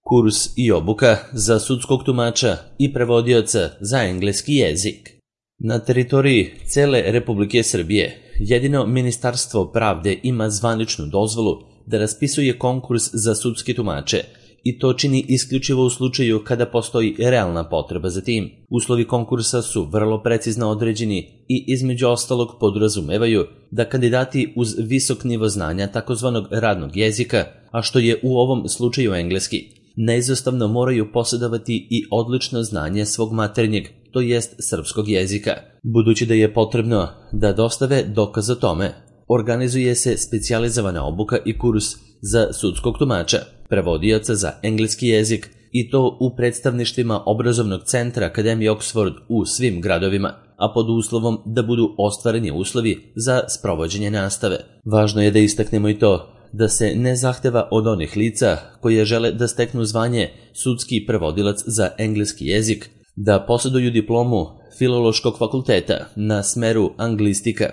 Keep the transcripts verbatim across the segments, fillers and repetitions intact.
Kurs i obuka za sudskog tumača i prevodioca za engleski jezik. Na teritoriji cele Republike Srbije jedino Ministarstvo pravde ima zvaničnu dozvolu da raspisuje konkurs za sudske tumače i to čini isključivo u slučaju kada postoji realna potreba za tim. Uslovi konkursa su vrlo precizno određeni i između ostalog podrazumevaju da kandidati uz visok nivo znanja takozvanog radnog jezika, a što je u ovom slučaju engleski, neizostavno moraju posjedovati i odlično znanje svog maternjeg, to jest srpskog jezika. Budući da je potrebno da dostave dokaz o tome, organizuje se specijalizovana obuka i kurs za sudskog tumača, prevodioca za engleski jezik i to u predstavništvima obrazovnog centra Akademije Oxford u svim gradovima, a pod uslovom da budu ostvareni uslovi za sprovođenje nastave. Važno je da istaknemo i to da se ne zahteva od onih lica koje žele da steknu zvanje sudski prevodilac za engleski jezik da posjeduju diplomu Filološkog fakulteta na smeru anglistika,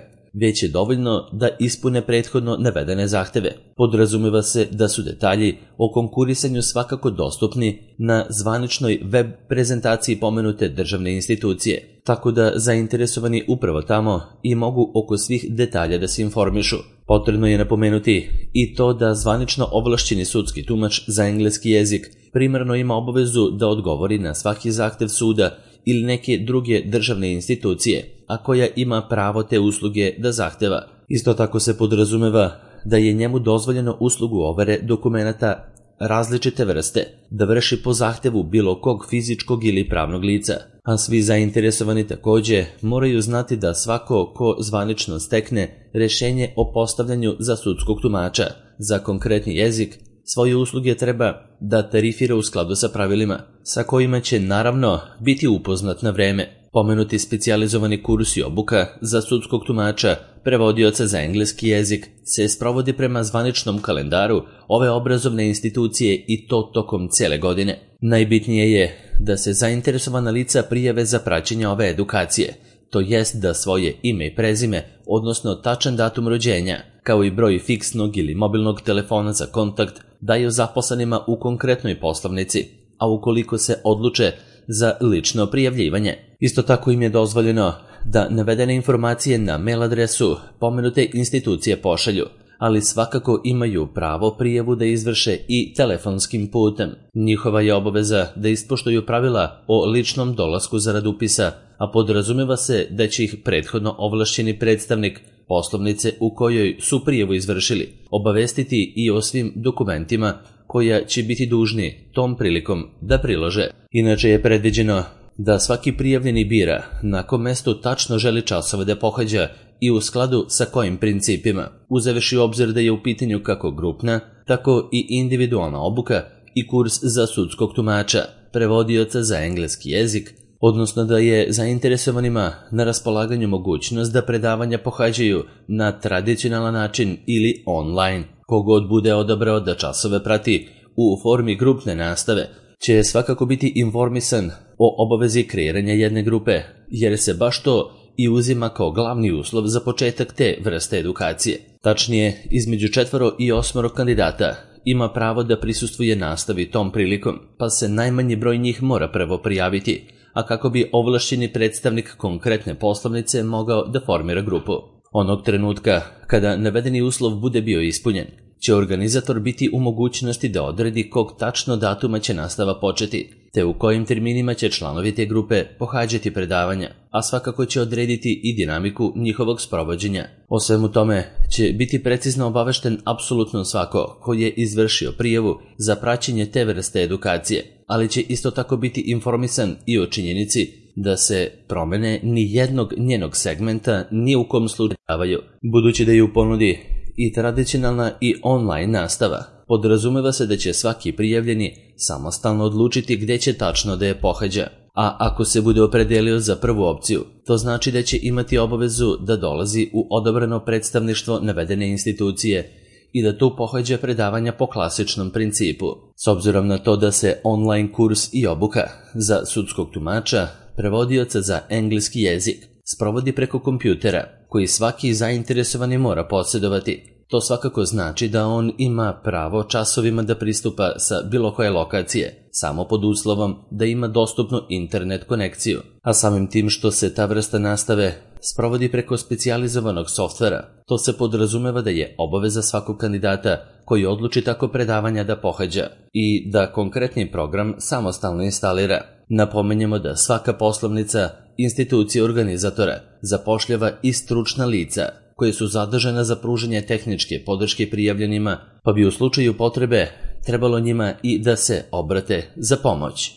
već je dovoljno da ispune prethodno navedene zahteve. Podrazumeva se da su detalji o konkurisanju svakako dostupni na zvaničnoj web prezentaciji pomenute državne institucije, tako da zainteresovani upravo tamo i mogu oko svih detalja da se informišu. Potrebno je napomenuti i to da zvanično ovlašćeni sudski tumač za engleski jezik primarno ima obavezu da odgovori na svaki zahtev suda ili neke druge državne institucije, a koja ima pravo te usluge da zahteva. Isto tako se podrazumeva da je njemu dozvoljeno uslugu overe dokumenata različite vrste da vrši po zahtevu bilo kog fizičkog ili pravnog lica, a svi zainteresovani takođe moraju znati da svako ko zvanično stekne rešenje o postavljanju za sudskog tumača za konkretni jezik svoje usluge treba da tarifira u skladu sa pravilima, sa kojima će naravno biti upoznat na vreme. Pomenuti specijalizovani kurs i obuka za sudskog tumača, prevodioca za engleski jezik se sprovodi prema zvaničnom kalendaru ove obrazovne institucije i to tokom cele godine. Najbitnije je da se zainteresovana lica prijave za praćenje ove edukacije, to jest da svoje ime i prezime, odnosno tačan datum rođenja, kao i broj fiksnog ili mobilnog telefona za kontakt, daju zaposlenima u konkretnoj poslovnici, a ukoliko se odluče za lično prijavljivanje. Isto tako im je dozvoljeno da navedene informacije na mail adresu pomenute institucije pošalju, ali svakako imaju pravo prijavu da izvrše i telefonskim putem. Njihova je obaveza da ispoštuju pravila o ličnom dolasku zarad upisa, a podrazumeva se da će ih prethodno ovlašćeni predstavnik poslovnice u kojoj su prijavu izvršili obavestiti i o svim dokumentima koja će biti dužni tom prilikom da prilože. Inače je predviđeno da svaki prijavljeni bira na kom mestu tačno želi časove da pohađa i u skladu sa kojim principima, uzevši u obzir da je u pitanju kako grupna, tako i individualna obuka i kurs za sudskog tumača, prevodioca za engleski jezik, odnosno da je zainteresovanima na raspolaganju mogućnost da predavanja pohađaju na tradicionalan način ili online. Kogod bude odabrao da časove prati u formi grupne nastave, će svakako biti informisan o obavezi kreiranja jedne grupe, jer se baš to i uzima kao glavni uslov za početak te vrste edukacije. Tačnije, između četvoro i osmoro kandidata ima pravo da prisustvuje nastavi tom prilikom, pa se najmanji broj njih mora prvo prijaviti, a kako bi ovlašćeni predstavnik konkretne poslovnice mogao da formira grupu. Onog trenutka kada navedeni uslov bude bio ispunjen, će organizator biti u mogućnosti da odredi kog tačno datuma će nastava početi, te u kojim terminima će članovi te grupe pohađati predavanja, a svakako će odrediti i dinamiku njihovog sprovođenja. O svemu tome će biti precizno obavešten apsolutno svako ko je izvršio prijavu za praćenje te vrste edukacije, ali će isto tako biti informisan i o činjenici da se promene ni jednog njenog segmenta ni u kom slučaju davaju. Budući da je u ponudi i tradicionalna i online nastava, podrazumeva se da će svaki prijavljeni samostalno odlučiti gde će tačno da je pohađa, a ako se bude opredelio za prvu opciju, to znači da će imati obavezu da dolazi u odabrano predstavništvo navedene institucije i da tu pohađa predavanja po klasičnom principu. S obzirom na to da se online kurs i obuka za sudskog tumača, prevodioca za engleski jezik, sprovodi preko kompjutera, koji svaki zainteresovani mora posjedovati, To svakako znači da on ima pravo časovima da pristupa sa bilo koje lokacije, samo pod uslovom da ima dostupnu internet konekciju, a samim tim što se ta vrsta nastave sprovodi preko specijalizovanog softvera, to se podrazumeva da je obaveza svakog kandidata koji odluči tako predavanja da pohađa i da konkretni program samostalno instalira. Napomenjemo da svaka poslovnica institucije organizatora zapošljava i stručna lica koje su zadržana za pružanje tehničke podrške prijavljenima, pa bi u slučaju potrebe trebalo njima i da se obrate za pomoć.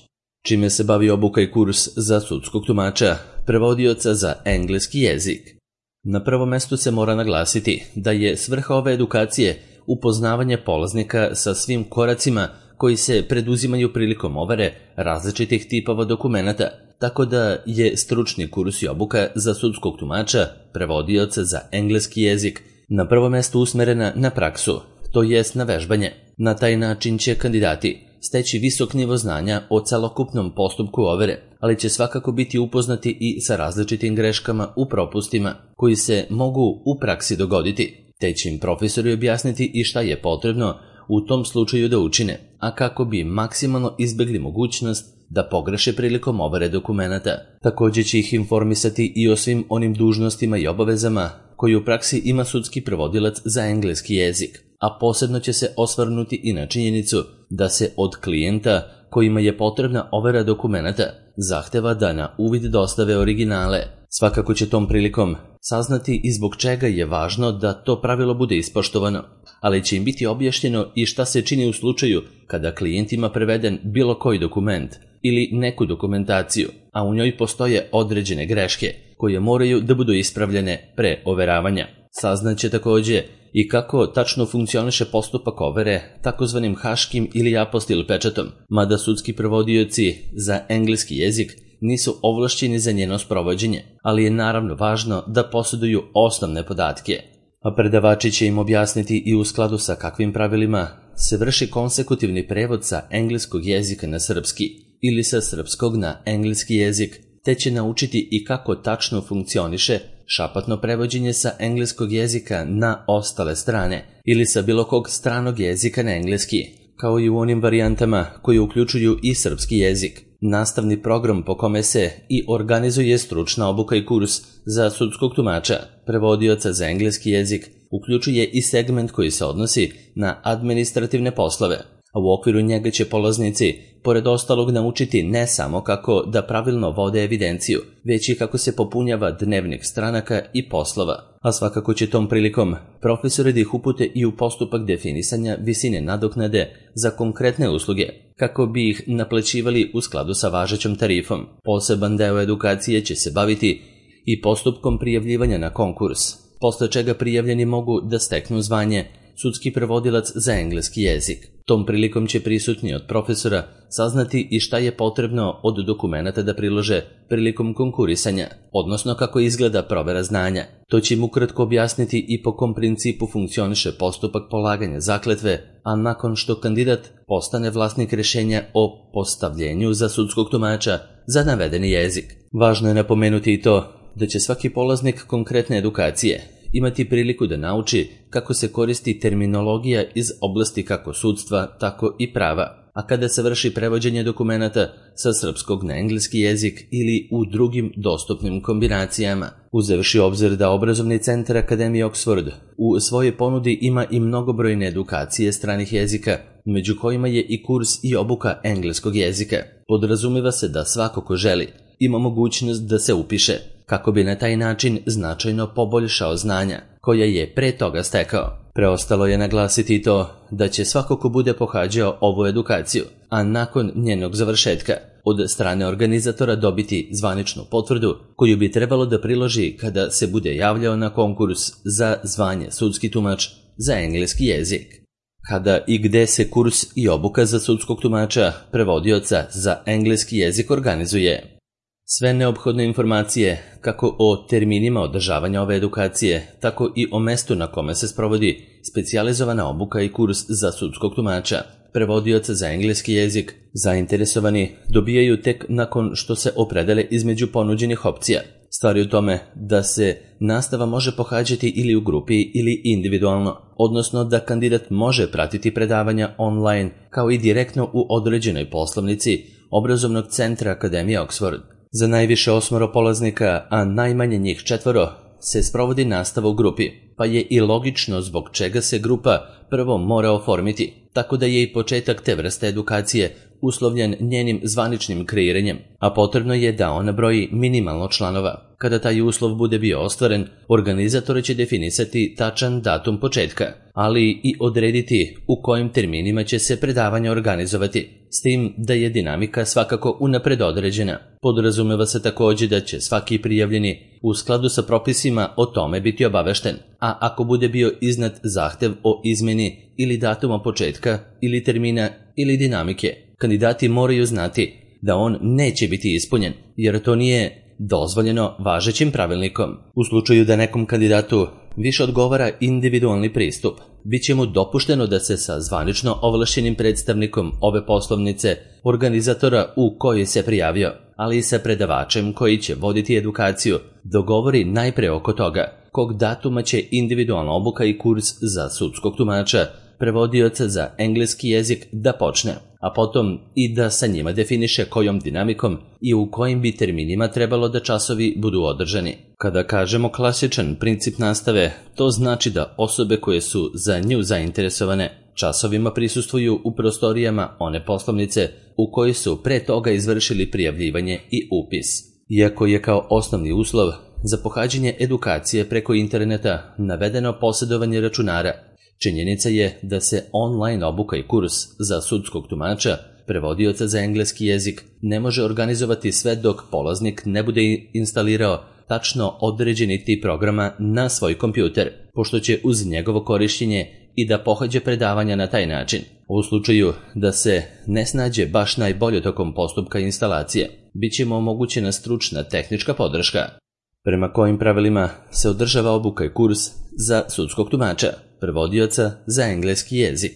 Čime se bavi obuka i kurs za sudskog tumača, prevodioca za engleski jezik? Na prvom mestu se mora naglasiti da je svrha ove edukacije upoznavanje polaznika sa svim koracima koji se preduzimaju prilikom overe različitih tipova dokumenata, tako da je stručni kurs i obuka za sudskog tumača, prevodioca za engleski jezik, na prvo mesto usmerena na praksu, to jest na vežbanje. Na taj način će kandidati steći visok nivo znanja o celokupnom postupku overe, ali će svakako biti upoznati i sa različitim greškama u propustima koji se mogu u praksi dogoditi, te će im profesori objasniti i šta je potrebno u tom slučaju da učine, a kako bi maksimalno izbegli mogućnost da pogreše prilikom overe dokumenata. Također će ih informisati i o svim onim dužnostima i obavezama koji u praksi ima sudski prevodilac za engleski jezik, a posebno će se osvrnuti i na činjenicu da se od klijenta kojima je potrebna overa dokumenata zahteva da na uvid dostave originale. Svakako će tom prilikom saznati i zbog čega je važno da to pravilo bude ispoštovano, ali će im biti objašnjeno i šta se čini u slučaju kada klijent ima preveden bilo koji dokument ili neku dokumentaciju, a u njoj postoje određene greške koje moraju da budu ispravljene pre overavanja. Saznaće također i kako tačno funkcioniše postupak overe takozvanim haškim ili apostil pečatom, mada sudski prevodioci za engleski jezik nisu ovlašćeni za njeno sprovođenje, ali je naravno važno da posjeduju osnovne podatke. A predavači će im objasniti i u skladu sa kakvim pravilima se vrši konsekutivni prevod sa engleskog jezika na srpski ili sa srpskog na engleski jezik, te će naučiti i kako tačno funkcioniše šapatno prevođenje sa engleskog jezika na ostale strane ili sa bilo kog stranog jezika na engleski, kao i u onim varijantama koji uključuju i srpski jezik. Nastavni program po kome se i organizuje stručna obuka i kurs za sudskog tumača, prevodioca za engleski jezik, uključuje i segment koji se odnosi na administrativne poslove, a u okviru njega će polaznici, pored ostalog, naučiti ne samo kako da pravilno vode evidenciju, već i kako se popunjava dnevnik stranaka i poslova. A svakako će tom prilikom profesori da ih upute i u postupak definisanja visine nadoknade za konkretne usluge, kako bi ih naplaćivali u skladu sa važećom tarifom. Poseban deo edukacije će se baviti i postupkom prijavljivanja na konkurs, posle čega prijavljeni mogu da steknu zvanje sudski prevodilac za engleski jezik. Tom prilikom će prisutni od profesora saznati i šta je potrebno od dokumenata da prilože prilikom konkurisanja, odnosno kako izgleda provera znanja. To će im ukratko objasniti i po kom principu funkcioniše postupak polaganja zakletve, a nakon što kandidat postane vlasnik rješenja o postavljenju za sudskog tumača za navedeni jezik. Važno je napomenuti i to da će svaki polaznik konkretne edukacije imati priliku da nauči kako se koristi terminologija iz oblasti kako sudstva, tako i prava, a kada se vrši prevođenje dokumenata sa srpskog na engleski jezik ili u drugim dostupnim kombinacijama. Uzevši obzir da obrazovni centar Akademije Oxford u svojoj ponudi ima i mnogobrojne edukacije stranih jezika, među kojima je i kurs i obuka engleskog jezika, podrazumiva se da svako ko želi ima mogućnost da se upiše, kako bi na taj način značajno poboljšao znanja koja je pre toga stekao. Preostalo je naglasiti i to da će svako ko bude pohađao ovu edukaciju, a nakon njenog završetka, od strane organizatora dobiti zvaničnu potvrdu koju bi trebalo da priloži kada se bude javljao na konkurs za zvanje sudski tumač za engleski jezik. Kada i gde se kurs i obuka za sudskog tumača, prevodioca za engleski jezik organizuje? Sve neophodne informacije, kako o terminima održavanja ove edukacije, tako i o mestu na kome se sprovodi specijalizovana obuka i kurs za sudskog tumača, prevodioca za engleski jezik, zainteresovani dobijaju tek nakon što se opredele između ponuđenih opcija, Stvar je u tome da se nastava može pohađati ili u grupi ili individualno, odnosno da kandidat može pratiti predavanja online kao i direktno u određenoj poslovnici obrazovnog centra Akademije Oxford. Za najviše osmoro polaznika, a najmanje njih četvoro, se sprovodi nastava u grupi, pa je i logično zbog čega se grupa prvo mora oformiti, tako da je i početak te vrste edukacije uslovljen njenim zvaničnim kreiranjem, a potrebno je da ona broji minimalno članova. Kada taj uslov bude bio ostvaren, organizatori će definisati tačan datum početka, ali i odrediti u kojim terminima će se predavanja organizovati, s tim da je dinamika svakako unapred određena. Podrazumeva se također da će svaki prijavljeni u skladu sa propisima o tome biti obavešten, a ako bude bio iznad zahtev o izmeni ili datuma početka ili termina ili dinamike, kandidati moraju znati da on neće biti ispunjen, jer to nije dozvoljeno važećim pravilnikom. U slučaju da nekom kandidatu više odgovara individualni pristup, bit će mu dopušteno da se sa zvanično ovlašćenim predstavnikom ove poslovnice, organizatora u kojoj se prijavio, ali i sa predavačem koji će voditi edukaciju, dogovori najpre oko toga kog datuma će individualna obuka i kurs za sudskog tumača, prevodioca za engleski jezik da počne, a potom i da sa njima definiše kojom dinamikom i u kojim bi terminima trebalo da časovi budu održani. Kada kažemo klasičan princip nastave, to znači da osobe koje su za nju zainteresovane časovima prisustvuju u prostorijama one poslovnice u kojoj su pre toga izvršili prijavljivanje i upis. Iako je kao osnovni uslov za pohađanje edukacije preko interneta navedeno posjedovanje računara, činjenica je da se online obuka i kurs za sudskog tumača, prevodioca za engleski jezik, ne može organizovati sve dok polaznik ne bude instalirao tačno određeni tip programa na svoj kompjuter, pošto će uz njegovo korišćenje i da pohađa predavanja na taj način. U slučaju da se ne snađe baš najbolje tokom postupka instalacije, bit će mu omogućena stručna tehnička podrška. Prema kojim pravilima se održava obuka i kurs za sudskog tumača, prevodioca za engleski jezik?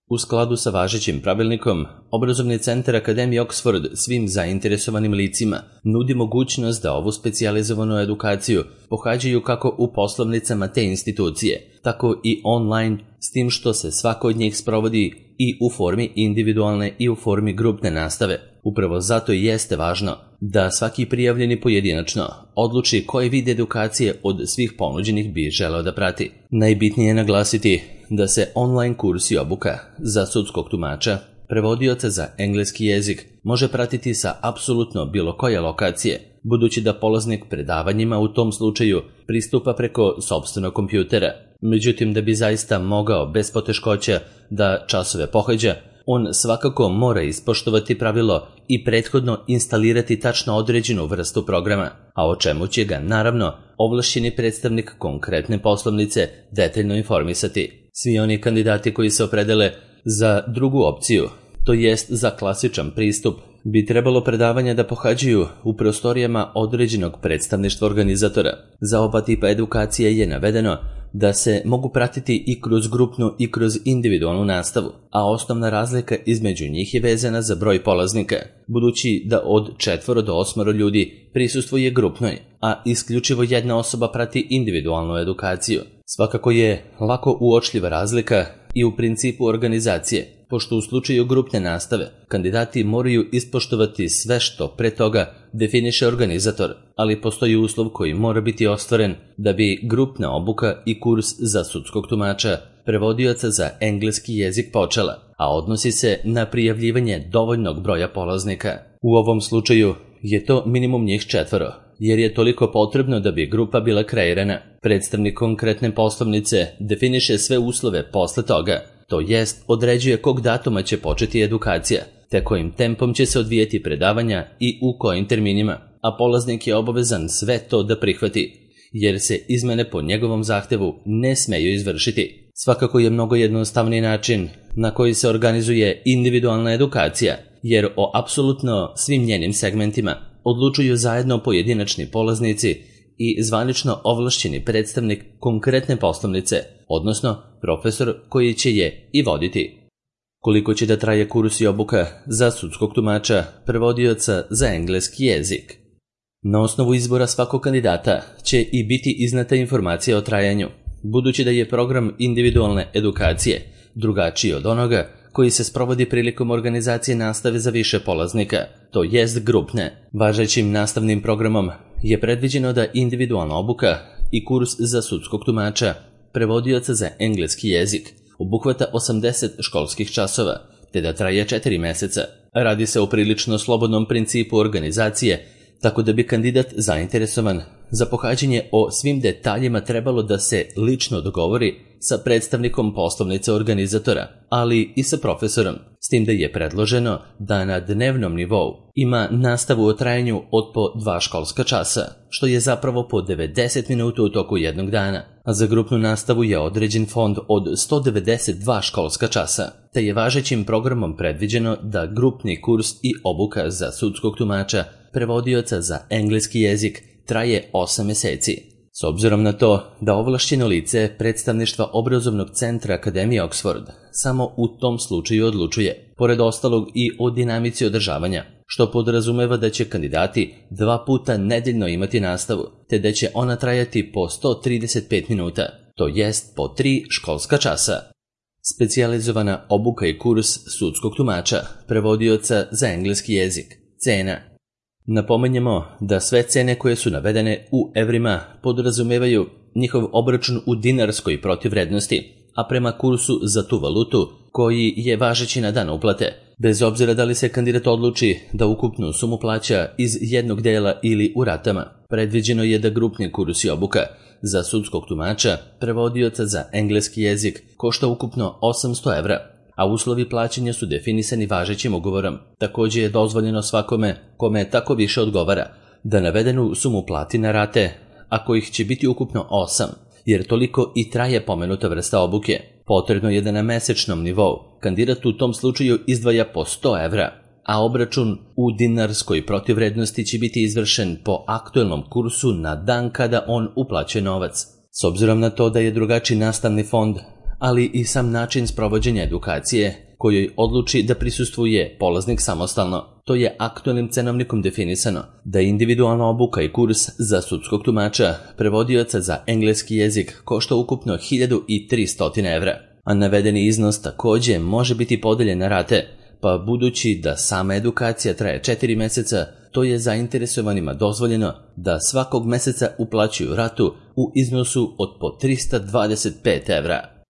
U skladu sa važećim pravilnikom, Obrazovni centar Akademije Oxford svim zainteresovanim licima nudi mogućnost da ovu specijalizovanu edukaciju pohađaju kako u poslovnicama te institucije, tako i online, s tim što se svako od njih sprovodi i u formi individualne i u formi grupne nastave. Upravo zato i jeste važno da svaki prijavljeni pojedinačno odluči koji vid edukacije od svih ponuđenih bi želeo da prati. Najbitnije je naglasiti da se online kurs i obuka za sudskog tumača, prevodioca za engleski jezik, može pratiti sa apsolutno bilo koje lokacije, budući da polaznik predavanjima u tom slučaju pristupa preko sopstvenog kompjutera. Međutim, da bi zaista mogao bez poteškoća da časove pohađa, on svakako mora ispoštovati pravilo i prethodno instalirati tačno određenu vrstu programa, a o čemu će ga, naravno, ovlašćeni predstavnik konkretne poslovnice detaljno informisati. Svi oni kandidati koji se opredele za drugu opciju, to jest za klasičan pristup, bi trebalo predavanja da pohađaju u prostorijama određenog predstavništva organizatora. Za oba tipa edukacije je navedeno da se mogu pratiti i kroz grupnu i kroz individualnu nastavu, a osnovna razlika između njih je vezana za broj polaznika, budući da od četvoro do osmoro ljudi prisustvuje grupnoj, a isključivo jedna osoba prati individualnu edukaciju. Svakako je lako uočljiva razlika i u principu organizacije, pošto u slučaju grupne nastave kandidati moraju ispoštovati sve što pre toga definiše organizator, ali postoji uslov koji mora biti ostvaren da bi grupna obuka i kurs za sudskog tumača, prevodioca za engleski jezik počela, a odnosi se na prijavljivanje dovoljnog broja polaznika. U ovom slučaju je to minimum njih četvoro, jer je toliko potrebno da bi grupa bila kreirana. Predstavnik konkretne poslovnice definiše sve uslove posle toga, to jest određuje kog datuma će početi edukacija, te kojim tempom će se odvijeti predavanja i u kojim terminima, a polaznik je obavezan sve to da prihvati, jer se izmene po njegovom zahtevu ne smeju izvršiti. Svakako je mnogo jednostavniji način na koji se organizuje individualna edukacija, jer o apsolutno svim njenim segmentima odlučuju zajedno pojedinačni polaznici i zvanično ovlašćeni predstavnik konkretne poslovnice, odnosno profesor koji će je i voditi. Koliko će da traje kurs i obuka za sudskog tumača, prevodioca za engleski jezik? Na osnovu izbora svakog kandidata će i biti iznata informacija o trajanju, budući da je program individualne edukacije drugačiji od onoga koji se sprovodi prilikom organizacije nastave za više polaznika, to jest grupne. Važećim nastavnim programom je predviđeno da individualna obuka i kurs za sudskog tumača, prevodioca za engleski jezik, obuhvata osamdeset školskih časova, te da traje četiri meseca. Radi se o prilično slobodnom principu organizacije, tako da bi kandidat zainteresovan za pohađanje o svim detaljima trebalo da se lično dogovori sa predstavnikom poslovnice organizatora, ali i sa profesorom, s tim da je predloženo da na dnevnom nivou ima nastavu o trajanju od po dva školska časa, što je zapravo po devedeset minuta u toku jednog dana, a za grupnu nastavu je određen fond od sto devedeset dva školska časa, te je važećim programom predviđeno da grupni kurs i obuka za sudskog tumača, prevodioca za engleski jezik, traje osam meseci. S obzirom na to da ovlašćeno lice predstavništva obrazovnog centra Akademije Oxford samo u tom slučaju odlučuje, pored ostalog i o dinamici održavanja, što podrazumeva da će kandidati dva puta nedeljno imati nastavu, te da će ona trajati po sto trideset pet minuta, to jest po tri školska časa. Specijalizovana obuka i kurs sudskog tumača, prevodioca za engleski jezik. Cena. Napominjemo da sve cene koje su navedene u evrima podrazumevaju njihov obračun u dinarskoj protivvrednosti, a prema kursu za tu valutu koji je važeći na dan uplate, bez obzira da li se kandidat odluči da ukupnu sumu plaća iz jednog dela ili u ratama. Predviđeno je da grupni kurs i obuka za sudskog tumača, prevodioca za engleski jezik košta ukupno osamsto evra, a uslovi plaćanja su definisani važećim ugovorom. Također je dozvoljeno svakome kome tako više odgovara da navedenu sumu plati na rate, a kojih će biti ukupno osam, jer toliko i traje pomenuta vrsta obuke. Potrebno je da na mesečnom nivou kandidat u tom slučaju izdvaja po sto evra, a obračun u dinarskoj protivvrednosti će biti izvršen po aktuelnom kursu na dan kada on uplaćuje novac. S obzirom na to da je drugačiji nastavni fond, ali i sam način sprovođenja edukacije kojoj odluči da prisustvuje polaznik samostalno, to je aktualnim cenovnikom definisano da individualna obuka i kurs za sudskog tumača, prevodioca za engleski jezik košta ukupno hiljadu tristo evra, a navedeni iznos također može biti podeljen na rate, pa budući da sama edukacija traje četiri meseca, to je zainteresovanima dozvoljeno da svakog meseca uplaćuju ratu u iznosu od po tristo dvadeset pet evra.